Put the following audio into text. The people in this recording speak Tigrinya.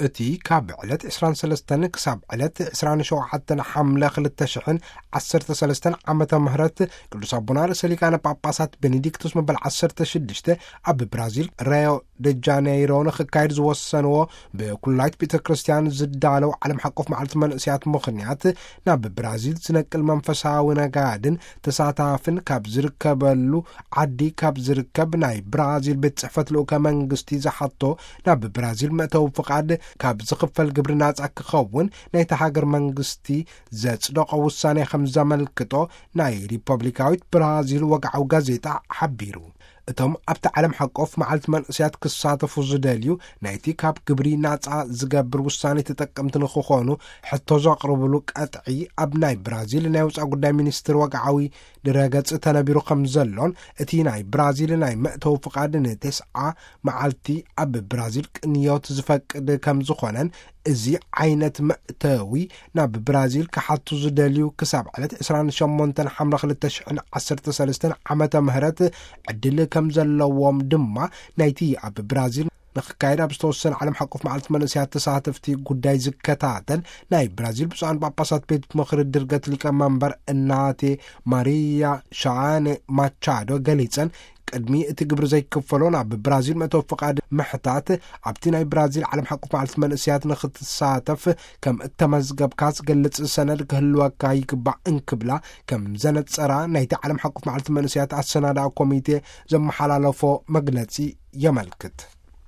እቲ ካብ ዕለት ዕስራን ሰለስተን ክሳብ ዕለት ዕስራን ሸውዓተን ሓምለ ክልተ ሽሕን ዓሰርተ ሰለስተን ዓመተ ምህረት ቅዱስ ኣቦና ርእሰ ሊቃነ ጳጳሳት ቤኔዲክቱስ መበል ዓሰርተ ሽዱሽተ ኣብ ብራዚል ራዮ ደ ጃነይሮ ንኽካየድ ዝወሰንዎ ብኩላይት ቤተ ክርስቲያን ዝዳለው ዓለም ሓቆፍ መዓልቲ መንእስያት ምኽንያት ናብ ብራዚል ዝነቅል መንፈሳዊ ነጋድን ተሳታፍን ካብ ዝርከበሉ ዓዲ ካብ ዝርከብ ናይ ብራዚል ቤት ጽሕፈት ልኡከ መንግስቲ ዝሓቶ ናብ ብራዚል መእተዊ ፍቓድ ካብ ዝኽፈል ግብሪ ናጻ ክኸውን ናይቲ ሃገር መንግስቲ ዘጽደቆ ውሳኔ ከም ዘመልክቶ ናይ ሪፐብሊካዊት ብራዚል ወግዓዊ ጋዜጣ ሓቢሩ። እቶም ኣብቲ ዓለም ሓቆፍ መዓልቲ መንእስያት ክሳተፉ ዝደልዩ ናይቲ ካብ ግብሪ ናጻ ዝገብር ውሳኔ ተጠቀምቲ ንክኾኑ ሕቶ ዘቕርብሉ ቀጥዒ ኣብ ናይ ብራዚል ናይ ውጻእ ጉዳይ ሚኒስትር ወግዓዊ ድረገጽ ተነቢሩ ከም ዘሎን እቲ ናይ ብራዚል ናይ መእተዊ ፍቓድ ንተስዓ መዓልቲ ኣብ ብራዚል ቅንዮት ዝፈቅድ ከም ዝኾነን እዚ ዓይነት መእተዊ ናብ ብራዚል ክሓቱ ዝደልዩ ክሳብ ዕለት ዕስራን ሸሞንተን ሓምለ ክልተ ሽሕን ዓሰርተ ሰለስተን ዓመተ ምህረት ዕድል ከም ዘለዎም ድማ ናይቲ ኣብ ብራዚል ንክካየድ ኣብ ዝተወሰነ ዓለም ሓቆፍ መዓልቲ መንእስያት ተሳተፍቲ ጉዳይ ዝከታተል ናይ ብራዚል ብፁዓን ጳጳሳት ቤት ምኽሪ ድርገት ሊቀመንበር እናቴ ማሪያ ሻነ ማቻዶ ገሊጸን። ቅድሚ እቲ ግብሪ ዘይክፈሎ ናብ ብራዚል መእተዊ ፍቓድ ምሕታት ኣብቲ ናይ ብራዚል ዓለም ሓቆፍ መዓልቲ መንእስያት ንክትሳተፍ ከም እተመዝገብካ ዝገልጽ ሰነድ ክህልወካ ይግባእ እንክብላ ከም ዘነጸራ ናይቲ ዓለም ሓቆፍ መዓልቲ መንእስያት ኣሰናዳኢ ኮሚቴ ዘመሓላለፎ መግለጺ የመልክት።